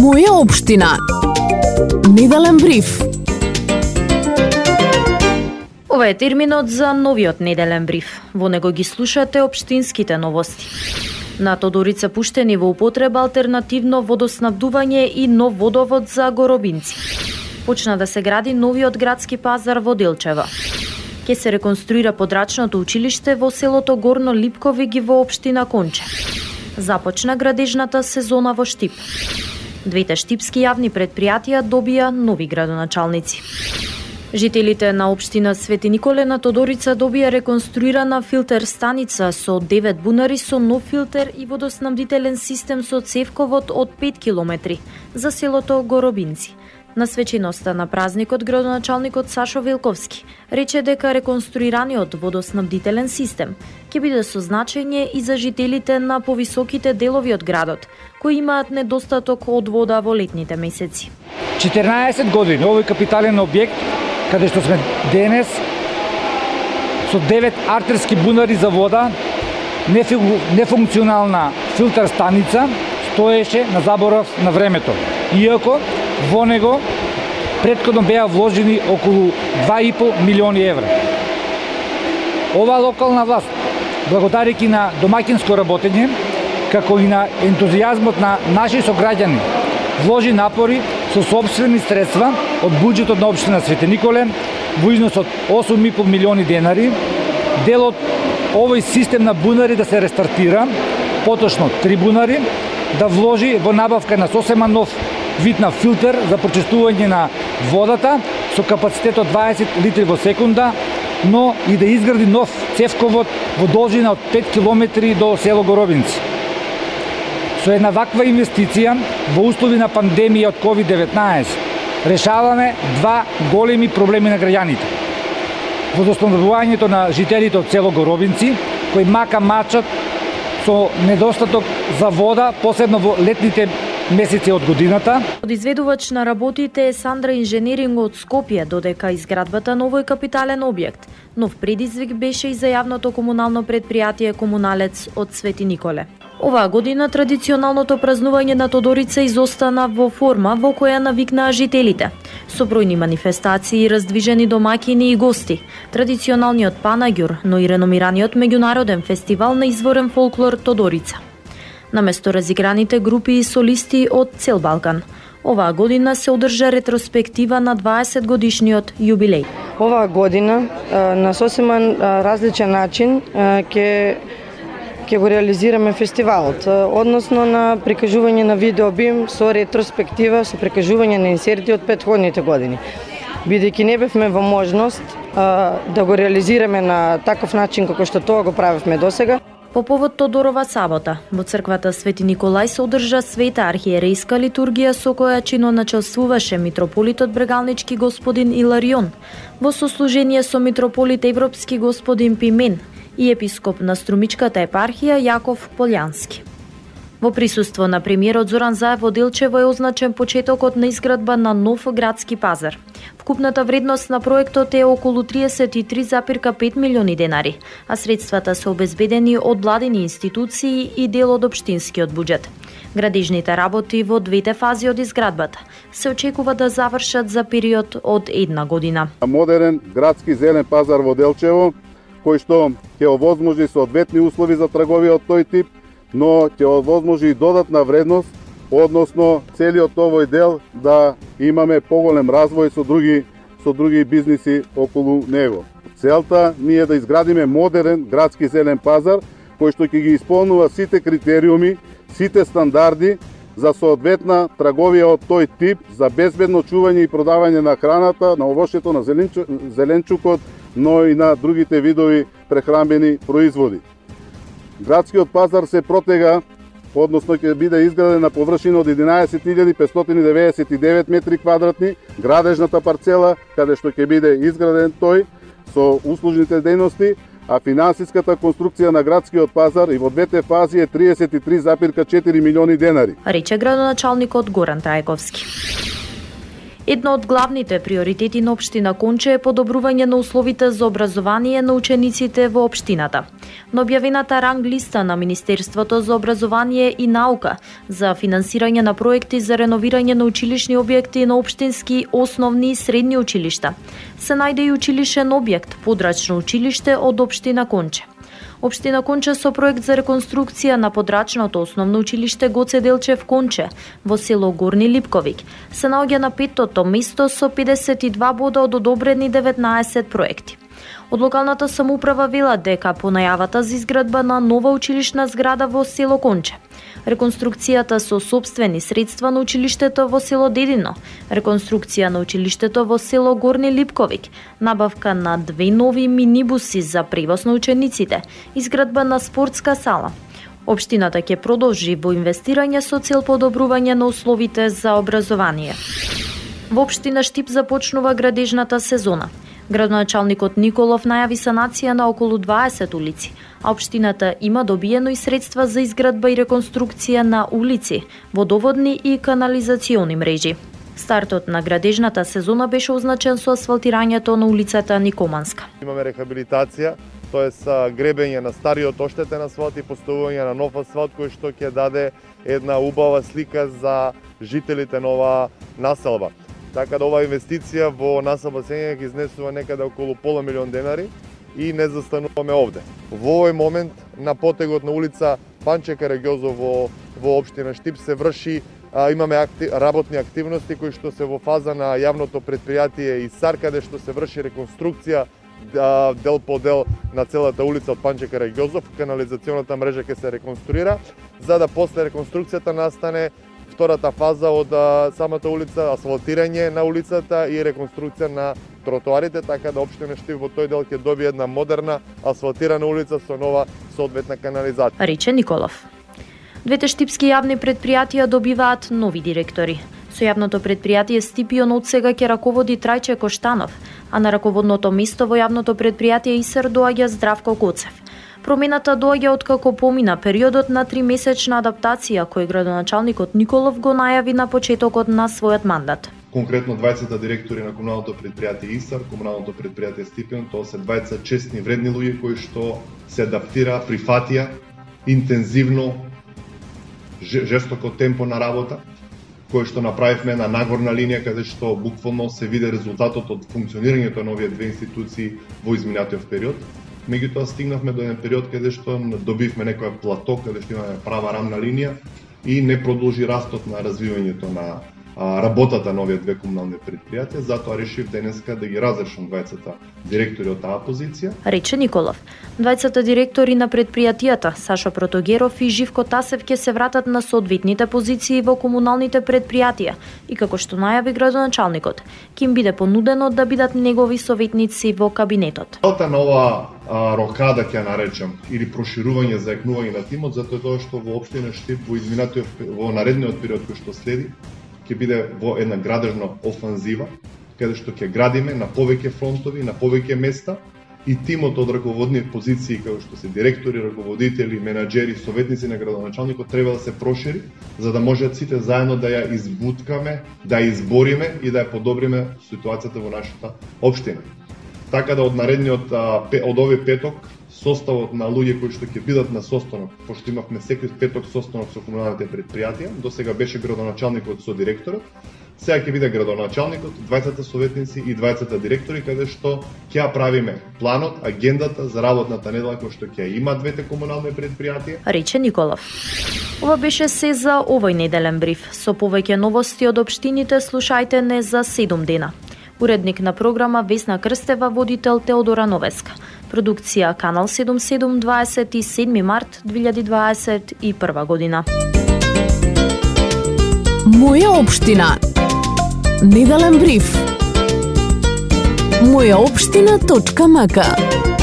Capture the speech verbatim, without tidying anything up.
Моја општина. Неделен бриф. Ова е терминот за новиот неделен бриф. Во него ги слушате општинските новости. На Тодорица пуштени во употреба алтернативно водоснабдување и нов водовод за Горобинци. Почна да се гради новиот градски пазар во Делчево. Ке се реконструира подрачното училиште во селото Горно Липковиги во општина Конче. Започна градежната сезона во Штип. Двете штипски јавни предпријатија добија нови градоначалници. Жителите на општина Свети Николе на Тодорица добија реконструирана филтер станица со девет бунари со нов филтер и водоснабдителен систем со цевковод од пет километри за селото Горобинци. На свеченоста на празникот градоначалникот Сашо Велковски рече дека реконструираниот водоснабдителен систем ќе биде со значење и за жителите на повисоките делови од градот, кои имаат недостаток од вода во летните месеци. четинаесет години овој капитален објект, каде што сме денес, со девет артерски бунари за вода, нефункционална филтер станица, стоеше на заборав на времето. Иако во него претходно беа вложени околу два и по милиони евра. Ова локална власт, благодарејќи на домаќинско работење, како и на ентузијазмот на наши сограѓани, вложи напори со сопствени средства од буџетот на општина Свети Николе во износ од осум и по милиони денари. Дел од овој систем на бунари да се рестартира, поточно три бунари, да вложи во набавка на сосема нов вид на филтер за прочистување на водата со капацитет од дваесет литри во секунда, но и да изгради нов цевковод во должина од пет километри до село Горобинци. Со една ваква инвестиција во услови на пандемија од ковид деветнаесет решаваме два големи проблеми на граѓаните. Водоснабдувањето на жителите од село Горобинци, кои мака мачат со недостаток за вода, посебно во летните месеци од годината. Од изведувач на работите е Сандра Инженеринг од Скопје, додека изградбата на овој капитален објект. Нов предизвик беше и за јавното комунално предпријатие Комуналец од Свети Николе. Оваа година традиционалното празнување на Тодорица изостана во форма во која навикнаа жителите. Со бројни манифестации, раздвижени домаќини и гости, традиционалниот панаѓур, но и реномираниот меѓународен фестивал на изворен фолклор Тодорица. Наместо разиграните групи и солисти од цел Балкан, оваа година се одржа ретроспектива на дваесет годишниот јубилеј. Оваа година на сосема различен начин ќе ќе го реализираме фестивалот, односно на прикажување на видеобим со ретроспектива, со прикажување на инсерти од претходните години. Бидејќи не бевме во можност да го реализираме на таков начин како што тоа го правевме досега. По повод Тодорова сабота, во црквата Свети Николај се одржа света архиерейска литургија со која чиноначелствуваше митрополитот Брегалнички господин Иларион, во сослужение со митрополит Европски господин Пимен и епископ на Струмичката епархија Јаков Полјански. Во присуство на премиерот Зоран Заев во Делчево е означен почетокот на изградба на нов градски пазар. Вкупната вредност на проектот е околу триесет и три запирка пет милиони денари, а средствата се обезбедени од владини институции и дел од општинскиот буџет. Градежните работи во двете фази од изградбата се очекува да завршат за период од една година. Модерен градски зелен пазар во Делчево, кој што ќе овозможи соодветни услови за трговија од тој тип, но ќе овозможи и додатна вредност, односно целиот овој дел да имаме поголем развој со други со други бизниси околу него. Целта ни е да изградиме модерен градски зелен пазар кој што ќе ги исполнува сите критериуми, сите стандарди за соодветна трговија од тој тип, за безбедно чување и продавање на храната, на овошјето, на зеленчукот, но и на другите видови прехранбени производи. Градскиот пазар се протега, односно ќе биде изграден на површина од единаесет илјади петстотини деветдесет и девет метри квадратни, градежната парцела, каде што ќе биде изграден тој со услужните дејности, а финансиската конструкција на градскиот пазар и во двете фази е триесет и три запирка четири милиони денари. Рече градоначалникот Горан Трајковски. Едно од главните приоритети на општина Конче е подобрување на условите за образование на учениците во општината. На објавената ранг листа на Министерството за образование и наука за финансирање на проекти за реновирање на училишни објекти на општински, основни и средни училишта се најде и училишен објект, подрачно училиште од општина Конче. Општина Конче со проект за реконструкција на подрачното основно училиште Гоце Делчев Конче во село Горни Липковик се наоѓа на петтото место со педесет и два бода од одобрени деветнаесет проекти. Од локалната самоуправа велат дека по најавата за изградба на нова училишна зграда во село Конче, реконструкцијата со сопствени средства на училиштето во село Дедино, реконструкција на училиштето во село Горни Липковик, набавка на две нови минибуси за превоз на учениците, изградба на спортска сала. Општината ќе продолжи во инвестирање со цел подобрување на условите за образование. Во општина Штип започнува градежната сезона. Градоначалникот Николов најави санација на околу дваесет улици, а општината има добиено и средства за изградба и реконструкција на улици, водоводни и канализациони мрежи. Стартот на градежната сезона беше означен со асфалтирањето на улицата Никоманска. Имаме рехабилитација, тоест гребење на стариот оштетен асфалт и поставување на нов асфалт кој што ќе даде една убава слика за жителите на оваа населба. Така да оваа инвестиција во населба Сења ќе изнесува некаде околу пола милион денари и не застануваме овде. Во овој момент на потегот на улица Панче Караѓозов во, во општина Штип се врши, а, имаме акти, работни активности кои што се во фаза на јавното предпријатие ИСАР, каде што се врши реконструкција а, дел по дел на целата улица од Панче Караѓозов, канализационата мрежа ќе се реконструира, за да после реконструкцијата настане втората фаза од а, самата улица, асфалтирање на улицата и реконструкција на тротоарите, така да општина Штип во тој дел ќе добие една модерна асфалтирана улица со нова соодветна канализација. Рече Николов. Двете штипски јавни предпријатија добиваат нови директори. Со јавното предпријатие Стипион од сега ќе раководи Трајче Коштанов, а на раководното место во јавното предпријатие ИСР доаѓа Здравко Коцев. Промената доаѓа откако помина периодот на тримесечна адаптација кој градоначалникот Николов го најави на почетокот на својот мандат. Конкретно дваесет директори на комуналното предпријатие ИСАР, комуналното предпријатие Стипион, тоа се дваесет честни вредни луѓе кои што се адаптира, прифатија интензивно жестоко темпо на работа, кој што направивме на нагорна линија каде што буквално се види резултатот од функционирањето на овие две институции во изминатиот период. Меѓутоа стигнавме до еден период каде што добивме некоја плато, каде што имаме права рамна линија и не продолжи растот на развивањето на а, работата на овие две комунални предпријатија, затоа решив денеска да ги разрешам дваесет директори од таа позиција. Рече Николов. дваесет директори на предпријатијата Сашо Протогеров и Живко Тасев ќе се вратат на соодветните позиции во комуналните предпријатија и како што најави градоначалникот, ќе им биде понудено да бидат негови советници во кабинетот. Целта на ова а, рокада ќе наречам или проширување за екнување на тимот, затоа тоа што во општина Штип во изминатиот во наредниот период кој што следи ќе биде во една градежна офанзива, каде што ќе градиме на повеќе фронтови, на повеќе места и тимот од раководни позиции, како што се директори, раководители, менаџери, советници на градоначалникот треба да се прошири, за да можат сите заедно да ја избуткаме, да ја избориме и да ја подобриме ситуацијата во нашата општина. Така да од наредниот, од овој петок, составот на луѓе кои што ќе бидат на состанок, пошто имавме секој петок состанок со комуналните предпријатија, до сега беше градоначалникот со директорот, сега ќе биде градоначалникот, дваесет советници и дваесет директори, каде што ќе ја правиме планот, агендата за работната недела кој што ќе има двете комунални предпријатија. Рече Николов. Ова беше се за овој неделен бриф. Со повеќе новости од општините слушајте не за седум дена. Уредник на програма Весна Крстева, водител Теодора Новеска. Продукција Канал седум седум, дваесет и седми март две илјади дваесет и прва година. Моја општина. Неделен бриф. моја општина точка м к